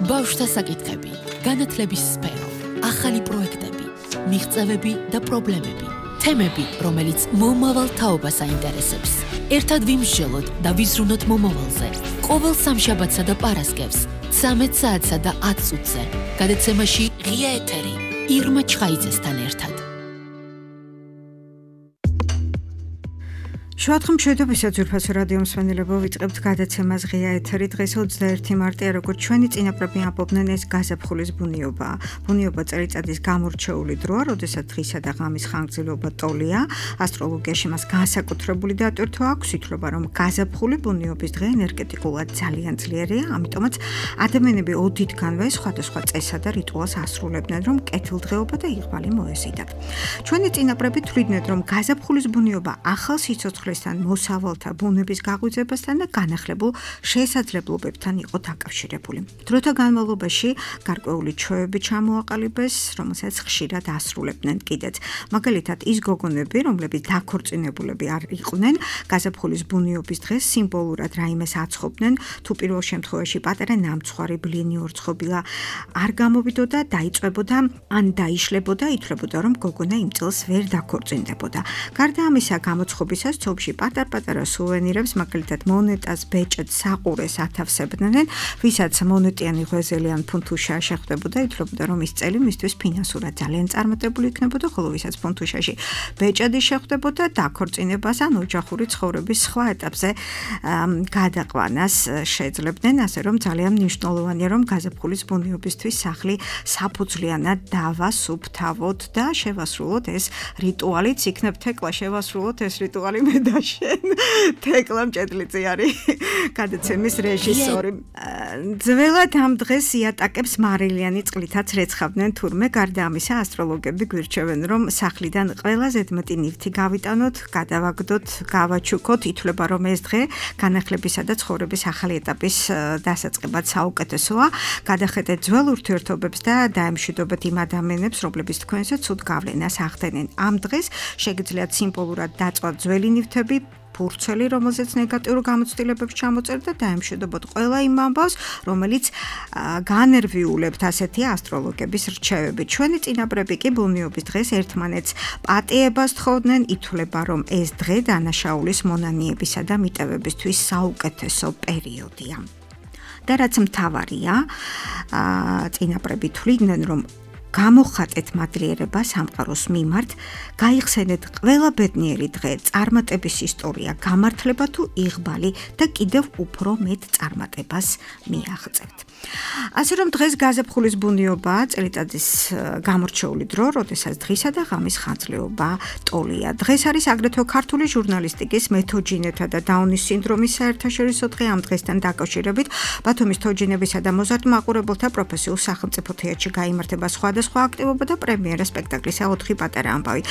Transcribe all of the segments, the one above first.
ბავშვთა საკითხები, განათლების სფერო, ახალი პროექტები, მიღწევები და პრობლემები, თემები, რომელიც მომავალ თაობას აინტერესებს. ერთად ვიმსჯელოთ და ვიზრუნოთ მომავალზე. ყოველ სამშაბათსა და პარასკევს, 13 საათსა და 10 წუთზე. გადაცემაში ღია ეთერი, ირმა ჩხაიძესთან ერთად. შუადღე მშვიდობისა ძვირფასო რადიო მსმენელებო, ვიწყებთ გადაცემას ღია ეთერი. დღეს 21 მარტია, როგორც ჩვენი წინაპრები ამბობდნენ, ეს გაზაფხულის ბუნიობაა. ბუნიობა წელიწადის გამორჩეული დროა, როდესაც დღისა და ღამის ხანგრძლივობა ტოლია. ასტროლოგიაში მას განსაკუთრებული დატვირთვა აქვს, ითვლება, რომ გაზაფხული ბუნიობის დღე ენერგეტიკულად ძალიან ძლიერია, ამიტომაც ადამიანები ოდითგანვე სხვადასხვა წესსა და რიტუალს ასრულებდნენ, რომ კეთილდღეობა და იღბალი მოეზიდათ. ჩვენი წინაპრები თვლიდნენ, რომ გაზაფხულის ბუნიობა ახალ სიცოცხლესთან, მოსავალთა ბუნების გაღვიძებასთან და განახლებულ შესაძლებლობებთან იყო დაკავშირებული. დროთა განმავლობაში გარკვეული ჩვევები ჩამოაყალიბეს, რომელსაც ხშირად ასრულებდნენ კიდეც. მაგალითად, ის გოგონები, რომლებიც დაქორწინებულები არ იყვნენ, გაზაფხულის ბუნიობის დღეს სიმბოლურად რაიმეს აცხობდნენ, თუ პირველ შემთხვევაში პატარა ნამცხვარი ბლინი ორცხობილა არ გამოვიდოდა, დაიწვებოდა ან დაიშლებოდა, ითვლებოდა, რომ გოგონა იმ წელს ვერ დაქორწინდებოდა. გარდა ამისა, გამოცხობისას ცოლში პატარ-პატარა სუვენირებს, მაგალითად მონეტას, ბეჭედს, საყურეს ათავსებდნენ, ვისაც მონეტიანი ღვეზელი ან ფუნთუშა შეხვდებოდა, ითვლებოდა, რომ ის წელი მისთვის ფინანსურად ძალიან წარმატებული იქნებოდა, ხოლო ვისაც ფუნთუშაში ბეჭედი შეხვდებოდა, დაქორწინებას ან ოჯახური ცხოვრების სხვა ეტაპზე გადაყვანას შეძლებდნენ, ასე რომ ძალიან მნიშვნელოვანია, რომ გაზაფხულის ბუნიობისთვის სახლი საფუძვლიანად დავასუფთავოთ და შევასრულოთ ეს რიტუალიც, იქნებ თეკლა შევასრულოთ ეს რიტუალი მე და შენ. თეკლა მჭედლიძე არის გადაცემის რეჟისორი. ძველად ამ დღეს იატაკებს მარილიანი წყლითაც რეცხავდნენ, თურმე გარდა ამისა ასტროლოგები გვირჩევენ, რომ სახლიდან ყველა ზედმეტი ნივთი გავიტანოთ, გადავაგდოთ, გავაჩუქოთ, ითვლება, რომ ეს დღე განახლებისა და ცხოვრების ახალი ეტაპის დასაწყებად საუკეთესოა. გადახედეთ ძველ ურთიერთობებს და დაემშვიდობეთ იმ ადამიანებს, რომლებიც თქვენზე ცუდ გავლენას ახდენენ. ამ დღეს შეგიძლიათ სიმბოლურად დაწვათ ძველი ნივთები, ფურცელი, რომელზეც ნეგატიურ გამოცდილებებს ჩამოწერთ და დაემშვიდობოთ ყველა იმ ამბავს, რომელიც განერვიულებთ, ასეთი ასტროლოგების რჩევები. ჩვენი წინაპრები კი ბუნიობის დღეს ერთმანეთს პატიებას თხოვდნენ, ითვლება, რომ ეს დღე დანაშაულის მონანიებისა და მიტევებისთვის საუკეთესო პერიოდია. და რაც მთავარია, წინაპრები თვლიდნენ, რომ გამოხატეთ მადლიერება სამყაროს მიმართ, გაიხსენეთ ყველა ბედნიერი დღე, წარმატების ისტორია, გამართლება თუ იღბალი და კიდევ უფრო მეტ წარმატებას მიაღწევთ. ასე რომ დღეს გაზაფხულის ბუნიობა წელიწადის გამორჩეული დრო, როდესაც დღისა და ღამის ხანგრძლივობა ტოლია. დღეს არის აგრეთვე ქართული ჟურნალისტიკის მეთოჯინეთა და დაუნის სინდრომის საერთაშორისო დღე. ამ დღესთან დაკავშირებით ბათუმის თოჯინებისა და მოზარდ-მაყურებელთა პროფესიულ სახელმწიფო თეატრში გაიმართება სხვადასხვა აქტივობა და პრემიერა სპექტაკლისა 4 პატარა ამბავი.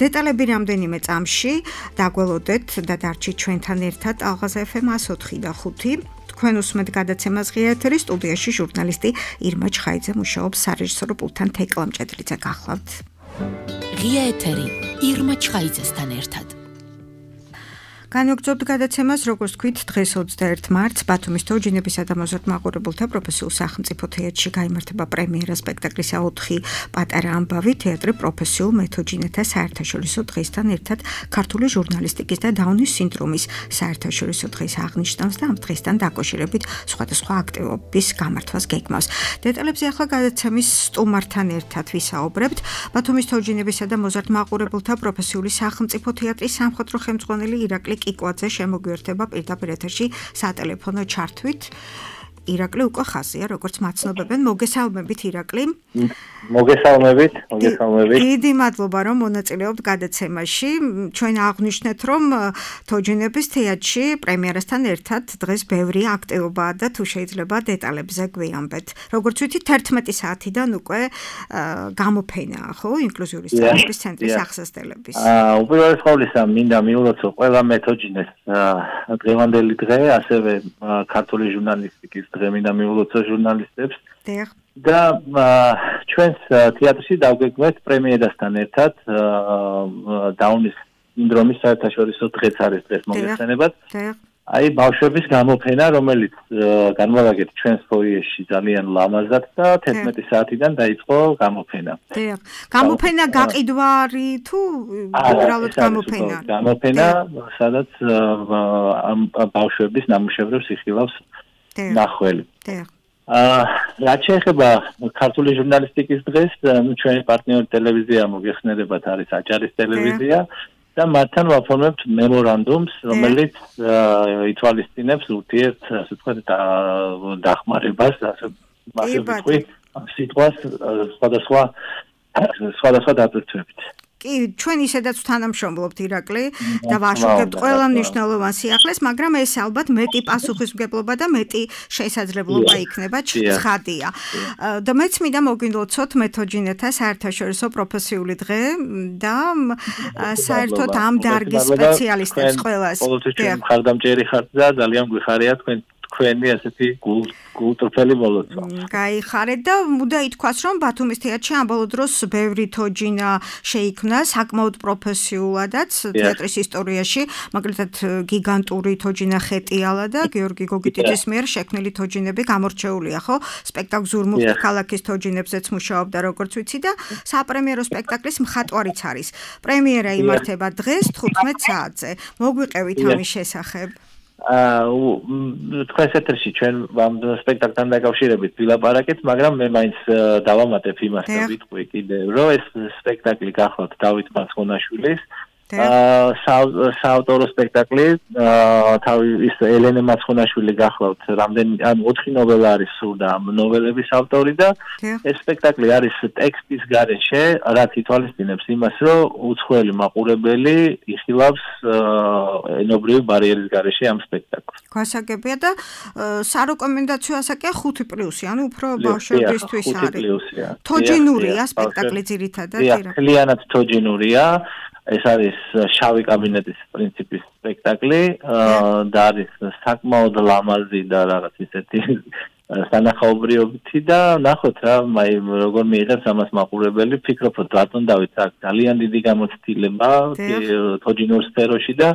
დეტალები რამდენიმე წამში დაგველოდეთ და დარჩით ჩვენთან ერთად ალღაზ FM 104 და 5. თქვენ უსმენთ გადაცემას ღია ეთერი, სტუდიაში ჟურნალისტი ირმა ჩხაიძე მუშაობს, სარეჟისორო პულტთან თეკლა მჭედლიძე გახლავთ. ღია ეთერი, ირმა ჩხაიძესთან ერთად. განვაგრძობთ გადაცემას, როგორც თქვით, დღეს 21 მარტს ბათუმის თოჯინებისა და მოზარდ-მაყურებელთა პროფესიულ სახელმწიფო თეატრში გაიმართება პრემიერა სპექტაკლისა 4 პატარა ამბავი. თეატრი პროფესიულ მეთოჯინეთა საერთაშორისო დღესთან ერთად ქართული ჟურნალისტიკის და დაუნის სინდრომის საერთაშორისო დღეს აღნიშნავს და ამ დღესთან დაკავშირებით სხვადასხვა აქტივობის გამართვას გეგმავს. დეტალებზე ახლა გადაცემის სტუმართან ერთად ვისაუბრებთ. ბათუმის თოჯინებისა და მოზარდ-მაყურებელთა პროფესიული სახელმწიფო თეატრის სამხატვრო ხელმძღვანელი ირაკლი კიკვაძე შემოგვიერთება პირდაპირ ეთერში სატელეფონო ჩართვით. ირაკლი უკვე ხაზია, როგორც მაცნობებენ. მოგესალმებით, ირაკლი. მოგესალმებით. დიდი მადლობა, რომ მონაწილეობთ გადაცემაში. ჩვენ აღვნიშნეთ, რომ თოჯინების თეატრში პრემიერასთან ერთად დღეს ბევრი აქტივობაა და თუ შეიძლება დეტალებზე გვიამბეთ. როგორც ვიცი, 11 საათიდან უკვე გამოფენაა, ხო, ინკლუზიური სწავლების ცენტრის აღსასწავლების. უპირველეს ყოვლისა, მინდა მიულოცო ყველა მეთოჯინეს დღევანდელი დღე, ასევე ქართული ჟურნალისტიკის დღე მინდა მიულოცო ჟურნალისტებს. და ჩვენს თეატრში დავგეგმეთ პრემიერასთან ერთად დაუნის სინდრომის საერთაშორისო დღეც არის დღეს მოგეხსენებათ. აი ბავშვების გამოფენა, რომელიც განმოვაგეთ ჩვენს ფოიეში ძალიან ლამაზად და 11 საათიდან დაიწყო გამოფენა. დიახ. გამოფენა გაყიდვარი თუ უბრალოდ გამოფენა? გამოფენა, სადაც ბავშვების ნამუშევრებს იხილავს ნახველი. დიახ. რაც შეეხება ქართული ჟურნალისტიკის დღეს, ჩვენი პარტნიორი ტელევიზია მოგეხსენებათ არის აჭარის ტელევიზია და მათთან ვაფორმებთ მემორანდუმს, რომელიც ითვალისწინებს ურთიერთ, ასე ვთქვათ, დახმარებას, ასე ვთქვი, სიტყვას სხვადასხვა დატვირთვებით. კი, ჩვენ ისედაც თანამშრომლობთ ირაკლი და ვაშუქებთ ყველა მნიშვნელოვან სიახლეს, მაგრამ ეს ალბათ მეტი პასუხისმგებლობა და მეტი შესაძლებლობა იქნება ცხადია. და მეც მინდა მოგვილოცოთ მეთოჯინეთა საერთაშორისო პროფესიული დღე და საერთოდ ამ დარგის სპეციალისტებს ყველას. ყოველთვის ჩვენ მხარდამჭერი ხართ და ძალიან გვიხარია თქვენი ასეთი გულწრფელი მოლოცვა. გაიხარეთ და მუდა ითქვას, რომ ბათუმის თეატრში ამ ბოლო დროს ბევრი თოჯინა შეიქმნა, საკმაოდ პროფესიულადაც თეატრის ისტორიაში, მაგალითად გიგანტური თოჯინა ხეტიალა და გიორგი გოგიტიძის მიერ შექმნილი თოჯინები გამორჩეულია, ხო? სპექტაკლ ზურმუხტ ქალაქის თოჯინებზეც მუშაობდა, როგორც ვიცი და საპრემიერო სპექტაკლის მხატვარიც არის. პრემიერა იმართება დღეს 15 საათზე. მოგვიყევით ამის შესახებ. თქვენს ეთერში ჩვენ ამ სპექტაკლთან დაკავშირებით ვილაპარაკეთ, მაგრამ მე მაინც დავამატებ იმას და ვიტყვი კიდევ, რომ ეს სპექტაკლი გახლავთ დავით მაცხონაშვილის საავტორო სპექტაკლი, ის ელენე მაცხონაშვილი გახლავთ, რამდენი 4 ნოველა არის სულ და ამ ნოველების ავტორი და ეს სპექტაკლი არის ტექსტის გარეშე, რაც ითვალისწინებს იმას, რომ უცხოელი მაყურებელი იხილავს ენობრივი ბარიერის გარეშე ამ სპექტაკლს. გასაგებია და სარეკომენდაციო ასაკია 5+, ანუ უფრო ბავშვებისთვის არის. თოჯინურია სპექტაკლი ძირითადად. მთლიანად თოჯინურია. ეს არის შავი კაბინეტის პრინციპის სპექტაკლი და არის საკმაოდ ლამაზი და რაღაც ისეთი სანახაობრიობითი და ნახოთ რა, როგორ მიიღებს ამას მაყურებელი, ფიქრობ, რომ რატომ დავით აქ ძალიან დიდი გამოცდილება თოჯინურ სფეროში და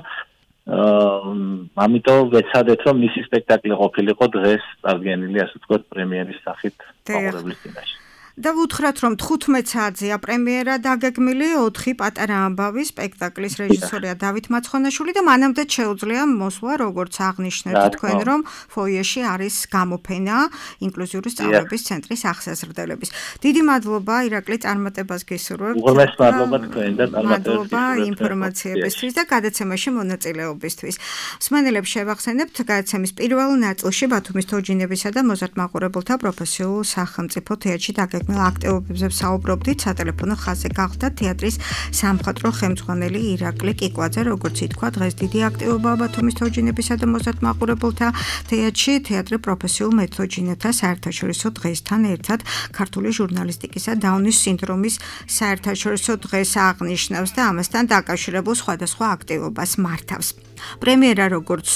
ამიტომ ვეცადეთ, რომ მისი სპექტაკლი ყოფილიყო დღეს წარდგენილი, ასე ვთქვათ, პრემიერის სახით მაყურებლის წინაშე. და ვუთხრათ, რომ 15 საათზეა პრემიერა დაგეგმილი 4 პატარა ამბავი სპექტაკლის რეჟისორია დავით მაცხონაშვილი და მანამდე შეუძლია მოსვლა, როგორც აღნიშნეთ თქვენ, რომ ფოიეში არის გამოფენა ინკლუზიური სწავლების ცენტრის აღსაზრდელების. დიდი მადლობა ირაკლი წარმატებას გისურვებთ. უღრმეს მადლობა თქვენ და წარმატებას გისურვებთ ინფორმაციებისთვის და გადაცემაში მონაწილეობისთვის. მსმენელებს შევახსენებთ, გადაცემის პირველ ნაწილში ბათუმის თოჯინებისა და მოზარდ მაყურებელთა პროფესიულ სახელმწიფო თეატრში დაგეგმილი აქტივობებზე ვსაუბრობდით, სატელეფონო ხაზზე გახდა თეატრის სამხატვრო ხელმძღვანელი ირაკლი კიკვაძე, როგორც ითქვა, დღეს დიდი აქტივობაა ბათუმის თოჯინებისა და მოზარდ მაყურებელთა თეატრში, თეატრი პროფესიულ მეთოჯინეთა საერთაშორისო დღესთან ერთად ქართული ჟურნალისტიკისა დაუნის სინდრომის საერთაშორისო დღეს აღნიშნავს და ამასთან დაკავშირებულ სხვადასხვა აქტივობას მართავს. პრემიერა, როგორც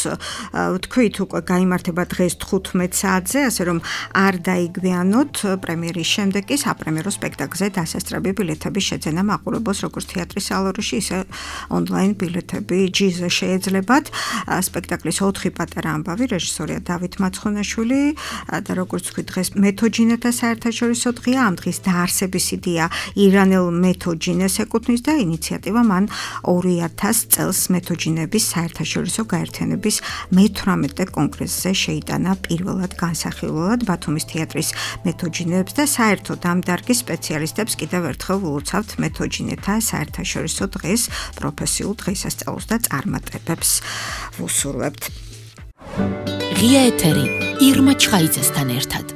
ვთქვით, უკვე გაიმართება დღეს 15 საათზე, ასე რომ არ დაიგვიანოთ პრემიერის შემდეგ კი საპრემიერო სპექტაკლზე დასასწრები ბილეთების შეძენა მაყურებელს როგორც თეატრის სალონში, ისე ონლაინ ბილეთები ჯიზე შეეძლებათ. სპექტაკლის 4 პატარა ამბავი, რეჟისორია დავით მაცხონაშვილი და როგორც ვთქვით, დღეს მეთოჯინეთა საერთაშორისო დღეა, ამ დღის დაარსების იდეა ირანელ მეთოჯინეს ეკუთვნის და ინიციატივა მან 2000 წელს მეთოჯინების საერთაშორისო გაერთიანების მე-18 კონგრესზე შეიტანა პირველად განსახილველად ბათუმის თეატრის მეთოჯინეებს და საერთოდ ამ დარგის სპეციალისტებს კიდევ ერთხელ ვილოცავთ მეთოჯინეთა საერთაშორისო დღეს, პროფესიულ დღესასწაულს და წარმატებებს ვუსურვებთ. ღია ეთერი ირმა ჩხაიძესთან ერთად.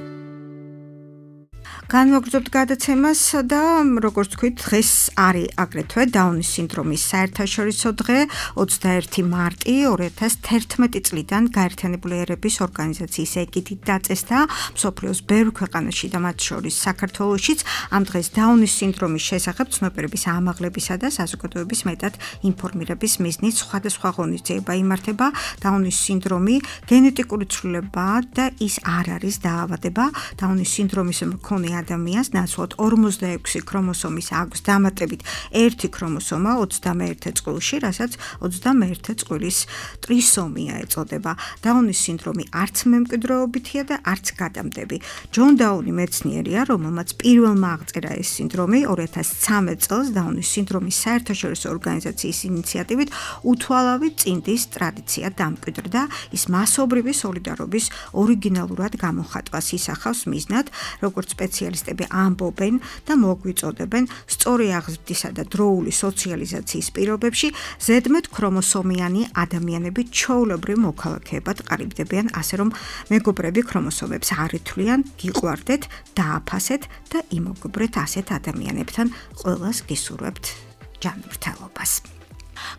განვაგრძობთ გადაცემას და როგორც ვთქვით, დღეს არის აგრეთვე დაუნის სინდრომის საერთაშორისო დღე, 21 მარტი 2011 წლიდან გაერთიანებული ერების ორგანიზაციის ეგიდით დაწესდა მსოფლიოს ბევრ ქვეყანაში და მათ შორის საქართველოშიც. ამ დღეს დაუნის სინდრომის შესახებ ცნობიერების ამაღლებისა და საზოგადოების მეტად ინფორმირების მიზნით სხვადასხვა ღონისძიება იმართება. დაუნის სინდრომი გენეტიკური ცვლილებაა და ის არ არის დაავადება. დაუნის სინდრომის მქონე ადამიანს, ნაცვლად 46 ქრომოსომის აქვს დამატებით 1 ქრომოსომა 21 წყვილში, რასაც 21 წყვილის ტრისომია ეწოდება. დაუნის სინდრომი არც მემკვიდრეობითია და არც გადამდები. ჯონ დაუნი მეცნიერია, რომელმაც პირველმა აღწერა ეს სინდრომი 2013 წელს დაუნის სინდრომის საერთაშორისო ორგანიზაციის ინიციატივით უთვალავი წინდის ტრადიცია დამკვიდრდა, ის მასობრივი სოლიდარობის ორიგინალურად გამოხატვას ისახავს მიზნად, როგორც სპეციალისტები ამბობენ და მოგვიწოდებენ სწორი აღზრდისა და დროული სოციალიზაციის პირობებში ზედმეტ ქრომოსომიანი ადამიანები ჩვეულებრივ მოქალაქეებად ყალიბდებიან, ასე რომ მეგობრები ქრომოსომებს არ ითვლიან, გიყვარდეთ, დააფასეთ და იმოგობრეთ ასეთ ადამიანებთან, ყველას გისურვებთ ჯანმრთელობას.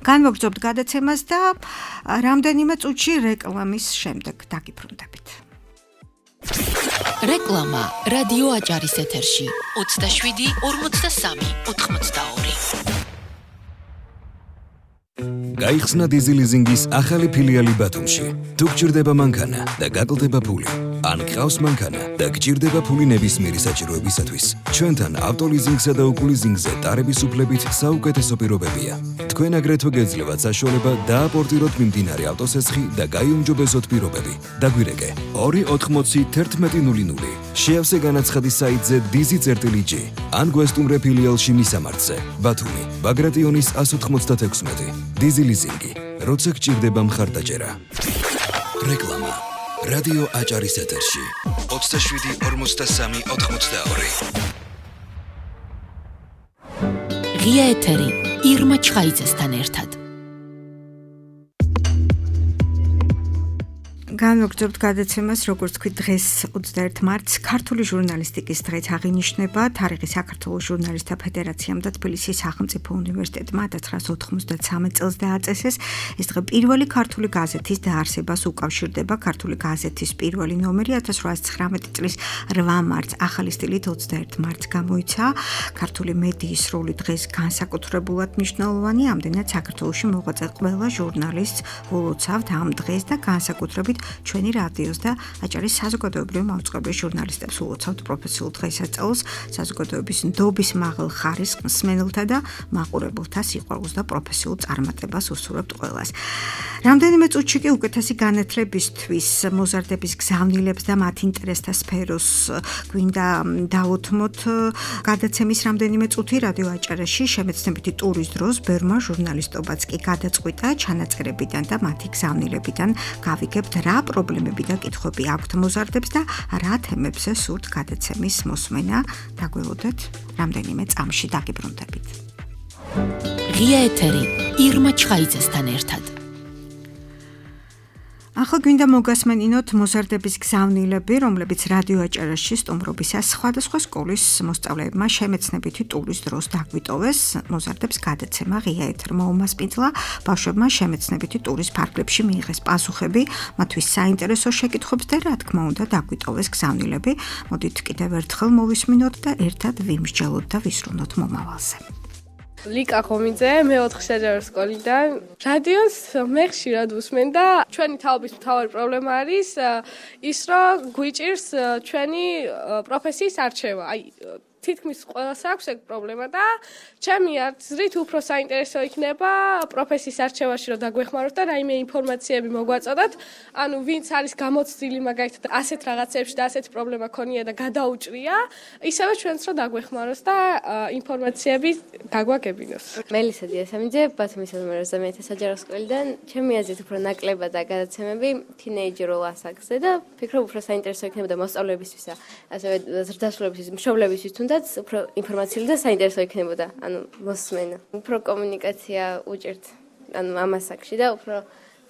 განვაგრძობთ გადაცემას და რამდენიმე წუთში რეკლამის შემდეგ დაგიბრუნდებით. რეკლამა რადიო აჭარის ეთერში 27 43 82. გაიხსნა დიზილიზინგის ახალი ფილიალი ბათუმში. თუ გჭირდება მანქანა და გაკლდება ფული, ან გყავს მანქანა და გჭირდება ფული ნებისმიერი საჭიროებისათვის, ჩვენთან ავტოლიზინგსა და უკულიზინგზე ტარების უფლებით საუკეთესო პირობებია. თქვენ აგრეთვე გეძლევათ საშუალება დააპორტიროთ მიმდინარე ავტოსესხი და გაიუმჯობესოთ პირობები. დაგვირეკე 280 1100. შეავსე განაცხადი საიტზე dizi.g ან გვესტუმრე ფილიალში მისამართზე. ბათუმი, ბაგრატიონის 196. დიზილიზინგი, როცა გჭირდება მხარდაჭერა. რეკლამა რადიო აჭარის ეთერში 27 43 82. ღია ეთერი ირმა ჩხაიძესთან ერთად. განვაგრძობთ გადაცემას, როგორც თქვი, დღეს 21 მარტს ქართული ჟურნალისტიკის დღეც აღინიშნება. თარიღი საქართველოს ჟურნალისტთა ფედერაციამ და თბილისის სახელმწიფო უნივერსიტეტმა 1993 წელს დააწესეს. ეს დღე პირველი ქართული გაზეთის დაარსებას უკავშირდება. ქართული გაზეთის პირველი ნომერი 1819 წლის 8 მარტს ახალი სტილით 21 მარტს გამოიცა. ქართული მედიის როლი დღეს განსაკუთრებულად მნიშვნელოვანი, ამდენად საქართველოში მოღვაწე ყველა ჟურნალისტს ულოცავთ ამ დღეს და განსაკუთრებით ჩვენი რადიოს და აჭარის საზოგადოებრივი მაუწყებლის ჟურნალისტებს ულოცავთ პროფესიულ დღესასწაულს, საზოგადოების ნდობის მაღალ ხარისხს მსმენელთა და მაყურებელთა სიყვარულს და პროფესიულ წარმატებას უსურვებთ ყველას. რამდენიმე წუთში კი უკეთესი განათლებისთვის მოზარდების გზავნილებს და მათ ინტერესთა სფეროს გვინდა დავუთმოთ. გადაცემის რამდენიმე წუთი რადიო აჭარაში შემეცნებითი ტურის დროს ბერმა ჟურნალისტობაც კი გადაწყვიტა ჩანაწერებიდან და მათი გზავნილებიდან გავიგებთ რა პრობლემები და კითხვები აქვთ მოზარდებს და რა თემებზე სურთ გადაცემის მოსმენა. დაგველოდეთ რამდენიმე წამში დაგიბრუნდებით. ღია ეთერი ირმა ჩხაიძესთან ერთად. ახლა გვინდა მოგასმენინოთ მოზარდების გზავნილები, რომლებიც რადიო აჭარაში სტუმრობისას სხვადასხვა სკოლის მოსწავლეებმა შემეცნებითი ტურის დროს დაგვიტოვეს. მოზარდებს გადაცემა ღია ეთერმა უმასპინძლა, ბავშვებმა შემეცნებითი ტურის ფარგლებში მიიღეს პასუხები, მათთვის საინტერესო შეკითხვებს და რა თქმა უნდა დაგვიტოვეს გზავნილები. მოდით კიდევ ერთხელ მოვისმინოთ და ერთად ვიმსჯელოთ და ვისრულოთ მომავალზე. ლიკა ხომიძე, მე-4 საჯარო სკოლიდან. რადიოს მე ხშირად ვუსმენ და ჩვენი თაობის მთავარი პრობლემა არის ის, რომ გვიჭირს ჩვენი პროფესიის არჩევა. აი თითქმის ყველას აქვს ეგ პრობლემა და ჩემი აზრით უფრო საინტერესო იქნება პროფესიის არჩევაში რომ დაგვეხმაროთ და რაიმე ინფორმაციები მოგვაწოდოთ. ანუ ვინც არის გამოცდილი მაგალითად ასეთ რაღაცებში და ასეთი პრობლემა ქონია და გადაუჭრია, ისევე ჩვენც რომ დაგვეხმაროს და ინფორმაციები გაგვაგებინოს. მელისა დიასამიძე, ბათუმის ნომერ 21 საჯარო სკოლიდან. ჩემი აზრით უფრო ნაკლებად და გადაცემები თინეიჯერულ ასაკზე და ფიქრობ უფრო საინტერესო იქნება და მოსწავლეებისთვისა, ასევე ზრდასრულებისთვის, მშობლებისთვის თუნდაც უფრო ინფორმაციული და საინტერესო იქნებოდა, ანუ მოსმენა. უფრო კომუნიკაცია უჭერთ, ანუ ამ ასაკში და უფრო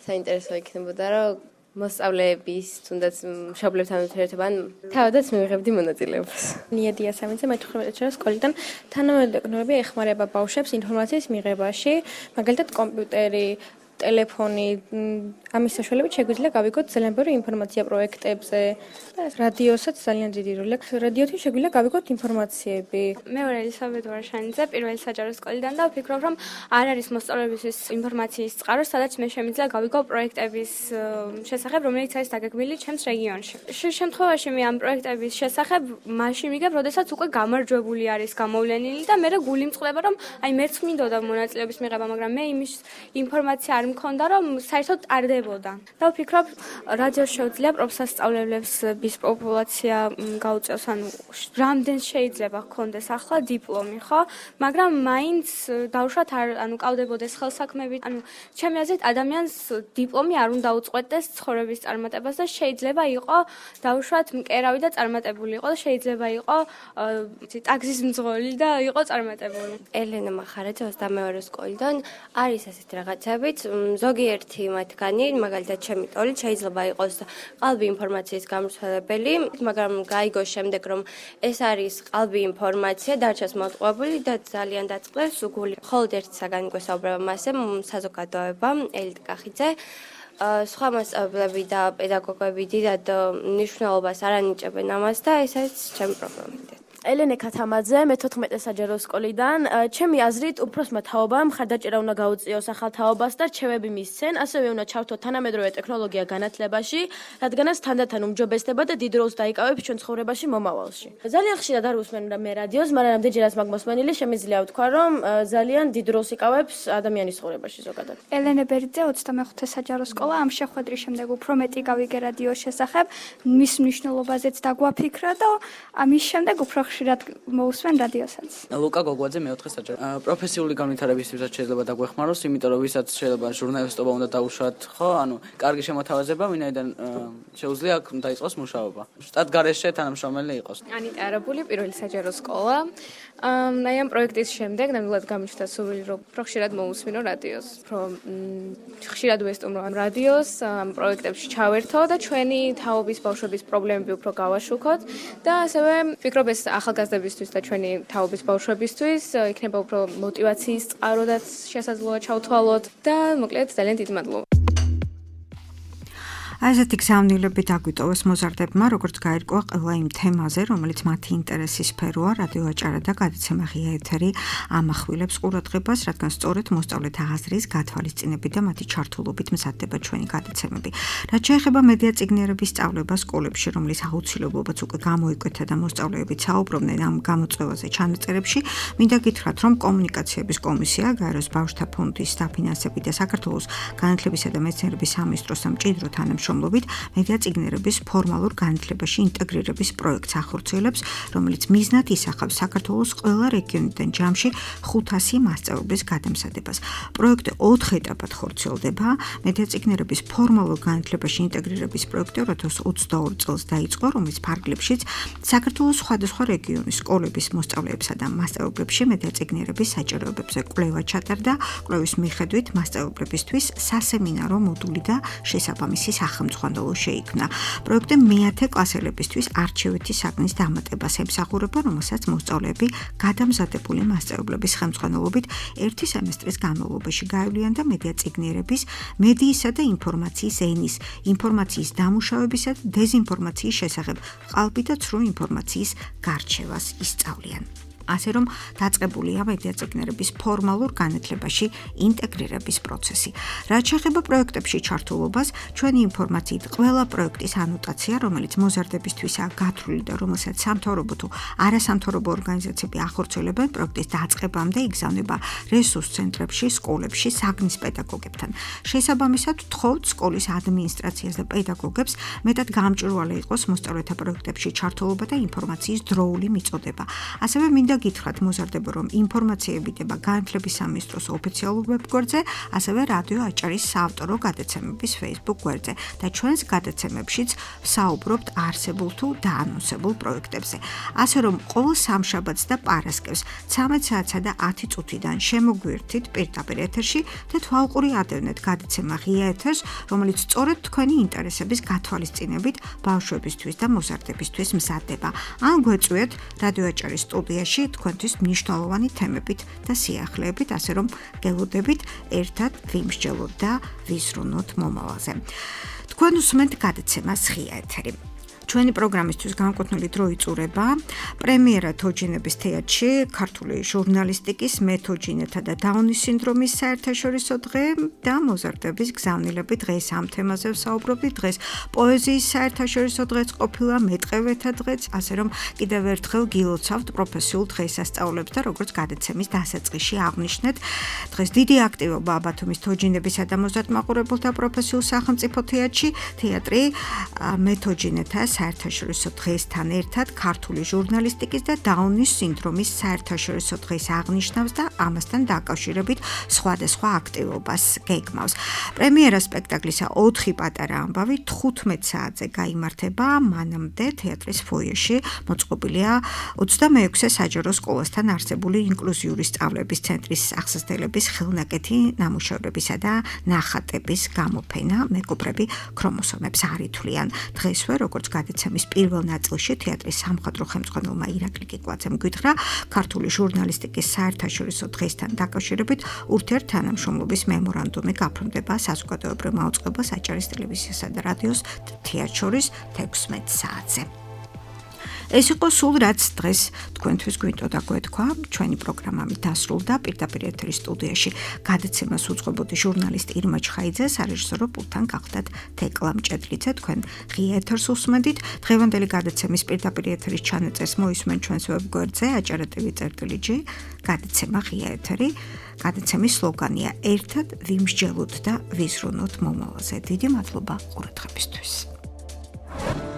საინტერესო იქნებოდა, რომ მოსწავლეების თუნდაც მშობლებთან ურთიერთობა, ან თავადაც მივიღებდი მონაწილეობას. ნია დიასამიძე, მე-15 საჯარო სკოლიდან. თანამედროვე ტექნოლოგიები ეხმარება ბავშვებს ინფორმაციის მიღებაში, მაგალითად კომპიუტერი, ტელეფონი, ამის საშუალებით შეგვიძლია გავიგოთ ძალიან ბევრი ინფორმაცია პროექტებზე. და რადიოსაც ძალიან დიდი როლი აქვს. რადიოთი შეგვიძლია გავიგოთ ინფორმაციები. მე ვარ ელისაბედ ვარშანიძე, პირველი საჯარო სკოლიდან და ვფიქრობ, რომ არ არის მოსწავლეებისთვის ინფორმაციის წყარო, სადაც მე შემიძლია გავიგო პროექტების შესახებ, რომელიც არის დაგეგმილი ჩემს რეგიონში. შემთხვევაში მე ამ პროექტების შესახებ მაშინ ვიგებ, როდესაც უკვე გამარჯვებული არის გამოვლენილი და მე გული მწყდება, რომ აი მეც მინდოდა მონაწილეობის მიღება, მაგრამ მე იმის ინფორმაცია არ მქონდა, რომ საერთოდ ტარდებოდა. და ვფიქრობ, რადიოს შეუძლია პროფესიונალებს bis პოპულაცია გაუწევს, ანუ რამდენ შეიძლება ჰქონდეს ახლა დიპლომი, ხო? მაგრამ მაინც დავუშვათ ანუ კავდებოდეს ხელსაქმეებით. ანუ ჩემი აზრით ადამიანს დიპლომი არ უნდა უწყვეტდეს ცხოვრების წარმატებას და შეიძლება იყო დავუშვათ მკერავი და წარმატებული იყო და შეიძლება იყო ტაქსის მძღოლი და იყო წარმატებული. ელენა მახარაძე 22 სკოლიდან არის ასეთი რაღაცებიც, ზოგიერთი მათგანი, მაგალითად ჩემი ტოლით შეიძლება იყოს ყალბი ინფორმაციის გამოსვლებელი, მაგრამ გაიგოს შემდეგ რომ ეს არის ყალბი ინფორმაცია, დარჩას მოტყუებული და ძალიან დაწყლეს გული. მხოლოდ ერთი საგანი გვესაუბრება მასზე, საზოგადოება, ელიტ კახიძე. სხვა მასწავლებლები და პედაგოგები დიდად მნიშვნელობას არ ანიჭებენ ამას და ეს არის ჩემი პრობლემა. ელენე ქათამაძე, მე-14 საჯარო სკოლიდან. ჩემი აზრით, უფროსმა თაობამ მხარდაჭერა უნდა გაუწიოს ახალ თაობას და რჩევები მისცენ, ასევე უნდა ჩართო თანამედროვე ტექნოლოგია განათლებაში, რადგანაც თანდათან უმჯობესდება და დიდ როლს დაიკავებს ჩვენ ცხოვრებაში მომავალში. ძალიან ხშირად არ უსმენდა მე რადიოს, მაგრამ რამდენჯერაც მაგ მოსმენილი, შემიძლია ვთქვა, რომ ძალიან დიდ როლს იკავებს ადამიანის ცხოვრებაში ზოგადად. ელენე ბერიძე, 25 საჯარო სკოლა, ამ შეხვედრის შემდეგ უფრო მეტი გავიგე რადიოს შესახებ, მის მნიშვნელობაზეც დაგვაფიქრა და ამის შემდეგ უფრო ხშირად მოусვენ რადიოსაც. ლუკა გოგოაძე მე-4 საჯარო. პროფესიული განვითარებისთვისაც შეიძლება დაგვეხმაროს, იმიტომ რომ ვისაც შეიძლება ჟურნალისტობა უნდა დაუშვათ, ხო? ანუ კარგი შემოთავაზება, ვინაიდან შეუძლია აქ დაიწყოს მუშაობა. შტატ გარეშე თანამშრომელი იყოს. ანიტა არაბული, პირველი საჯარო სკოლა. აი ამ პროექტის შემდეგ ნამდვილად გამიჩნდა სურვილი, რომ უფრო ხშირად მოусმინო რადიოს, რომ ხშირად ვესტუმრო ამ რადიოს, ამ პროექტებში ჩავერთო და ჩვენი თაობის ბავშვების პრობლემები უფრო გავაშუქოთ და ასევე ვფიქრობ ეს ახალგაზრდებისთვის და ჩვენი თაობის ბავშვებისთვის იქნება უფრო мотиваციის წყაროდაც შესაძლოა ჩავთვალოთ და მოკლედ ძალიან დიდი მადლობა. ასეთი გზავნილები დაგვიტოვეს მოზარდებმა, როგორც გაირკვა ყველა იმ თემაზე, რომელიც მათი ინტერესის სფეროა, რადიო აჭარა და გადაცემა ღია ეთერი ამახვილებს ყურადღებას, რადგან სწორედ მოსწავლეთა აზრის გათვალისწინებით და მათი ჩართულობით მზადდება ჩვენი გადაცემები. რაც შეეხება მედია წიგნიერების სწავლებას სკოლებში, რომლის აუცილებლობაც უკვე გამოიკვეთა და მოსწავლეები საუბრობდნენ ამ გამოწვევაზე ჩანაწერებში, მინდა გითხრათ, რომ კომუნიკაციების კომისია, გაეროს ბავშვთა ფონდის დაფინანსებით და საქართველოს განათლებისა და მეცნიერების სამინისტროს სამჭიდრო თანამშრომლობით მედია წიგნიერების ფორმალურ განათლებაში ინტეგრირების პროექტს ახორციელებს, რომელიც მიზნად ისახავს საქართველოს ყველა რეგიონიდან ჯამში 500 მასწავლებლის გადამზადებას. პროექტი 4 ეტაპად ხორციელდება. მედია წიგნიერების ფორმალურ განათლებაში ინტეგრირების პროექტი 2022 წელს დაიწყო, რომლის ფარგლებშიც საქართველოს სხვადასხვა რეგიონის სკოლების მოსწავლეებსა და მასწავლებლებში მედია წიგნიერების საჭიროებებზე კვლევა ჩატარდა. კვლევის მიხედვით მასწავლებლებისთვის სასემინარო მოდული და შესაბამისი სახელმძღვანელო შეიქმნა. პროექტი მე-10 კლასელებისთვის არჩევითი საგნის დამატებას ემსახურება, რომელსაც მოსწავლეები გადამზადებული მასწავლებლების ხელმძღვანელობით ერთი სემესტრის განმავლობაში გაევლიან და მედია წიგნიერების, მედიისა და ინფორმაციის ენის, ინფორმაციის დამუშავებისა და დეზინფორმაციის შესახებ ყალბი და ცრუ ინფორმაციის გარჩევას ისწავლიან. ასე რომ დაწყებულია მედია წიგნიერების ფორმალურ განათლებაში ინტეგრირების პროცესი. რაც შეეხება პროექტებში ჩართულობას, ჩვენი ინფორმაციით ყველა პროექტის ანოტაცია, რომელიც მოზარდებისთვისაა გათვლილი და რომელსაც სამთავრობო თუ არასამთავრობო ორგანიზაციები ახორციელებენ, პროექტის დაწყებამდე იგზავნება რესურს ცენტრებში, სკოლებში, საგნის პედაგოგებთან. შესაბამისად, ვთხოვთ სკოლის ადმინისტრაციას და პედაგოგებს მეტად გამჭვირვალე იყოს მოსწავლეთა პროექტებში ჩართულობა და ინფორმაციის დროული მიწოდება. ასევე მინდა გითხრათ მოზარდება, რომ ინფორმაციები დება განათლების სამინისტროს ოფიციალურ ვებგვერდზე, ასევე რადიო აჭარის საავტორო გადაცემების Facebook გვერდზე და ჩვენს გადაცემებშიც საუბრობთ არსებულ თუ დაანონსებულ პროექტებზე. ასე რომ ყოველ სამშაბათს და პარასკევს 13 საათსა და 10 წუთიდან შემოგვიერთით პირდაპირ ეთერში და თვალყური ადევნეთ გადაცემა ღია ეთერს, რომელიც სწორედ თქვენი ინტერესების გათვალისწინებით ბავშვებისთვის და მოზარდებისთვის მზადდება. ან გვეწვიეთ რადიო აჭარის სტუდიაში თქვენთვის მნიშვნელოვანი თემებით და სიახლეებით, ასე რომ გელოდებით ერთად ვიმსჯელოთ და ვიზრუნოთ მომავალზე. თქვენ უსმენთ გადაცემას ღია ეთერი. ჩვენი პროგრამისთვის განკუთვნილი დრო იწურება პრემიერა თოჯინების თეატრში ქართული ჟურნალისტიკის მეთოჯინეთა და დაუნის სინდრომის საერთაშორისო დღე და მოზარდების გზავნილები დღეს ამ თემაზე ვსაუბრობთ. დღეს პოეზიის საერთაშორისო დღეც ყოფილა, მეტყევეთა დღეც, ასე რომ კიდევ ერთხელ გილოცავთ პროფესიულ დღესასწაულებს და როგორც გადაცემის დასაწყისში აღნიშნეთ, დღეს დიდი აქტივობა ბათუმის თოჯინებისა და მოზარდმაყურებელთა პროფესიულ სახელმწიფო თეატრი მეთოჯინეთა საერთაშორისო დღესთან ერთად ქართული ჟურნალისტიკის და დაუნის სინდრომის საერთაშორისო დღეს აღნიშნავს და ამასთან დაკავშირებით სხვადასხვა აქტივობას გეგმავს. პრემიერა სპექტაკლისა 4 პატარა ამბავი 15 საათზე გაიმართება, მანამდე თეატრის ფოიეში მოწყობილია 26-ე საჯარო სკოლასთან არსებული ინკლუზიური სწავლების ცენტრის ახსასდელების ხელნაკეთი ნამუშევრებისა და ნახატების გამოფენა მეგობრები ქრომოსომებს არ ითვლიან. დღესვე როგორც გადაცემის პირველ ნაწილში თეატრის სამხატვრო ხელმძღვანელმა ირაკლი კიკვაძემ გითხრა, ქართული ჟურნალისტიკის საერთაშორისო დღესთან დაკავშირებით ურთიერთთანამშრომლობის მემორანდუმი გაფორმდება საზოგადოებრივ მაუწყებელს აჭარის ტელევიზიასა და რადიოს თეატრს შორის 16 საათზე. ეს იყო სულ რაც დღეს თქვენთვის გვინდოდა გვეთქვა. ჩვენი პროგრამა დასრულდა. პირდაპირ ეთერის სტუდიაში გადაცემას უძღვებოდი ჟურნალისტ ირმა ჩხაიძე, სარეჟისორო პულტთან გახდათ თეკლა მჭედლიძე. თქვენ ღია ეთერს უსმენდით. დღევანდელი გადაცემის პირდაპირ ეთერის ჩანაწერს მოისმენ ჩვენს ვებგვერდზე acara.tv/g. გადაცემა ღია ეთერი. გადაცემის სლოგანია ერთად ვიმსჯელოთ და ვიზრუნოთ მომავალზე. დიდი მადლობა ყურადღებისთვის.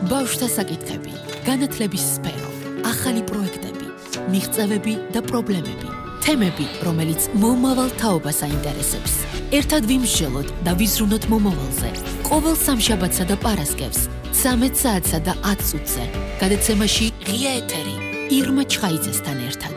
ბავშვთა საკითხები, განათლების სფერო, ახალი პროექტები, მიღწევები და პრობლემები, თემები, რომელიც მომავალ თაობას აინტერესებს. ერთად ვიმსჯელოთ და ვიზრუნოთ მომავალზე. ყოველ სამშაბათსა და პარასკევს 13 საათსა და 10 წუთზე. გადაცემაში ღია ეთერი ირმა ჩხაიძესთან ერთად.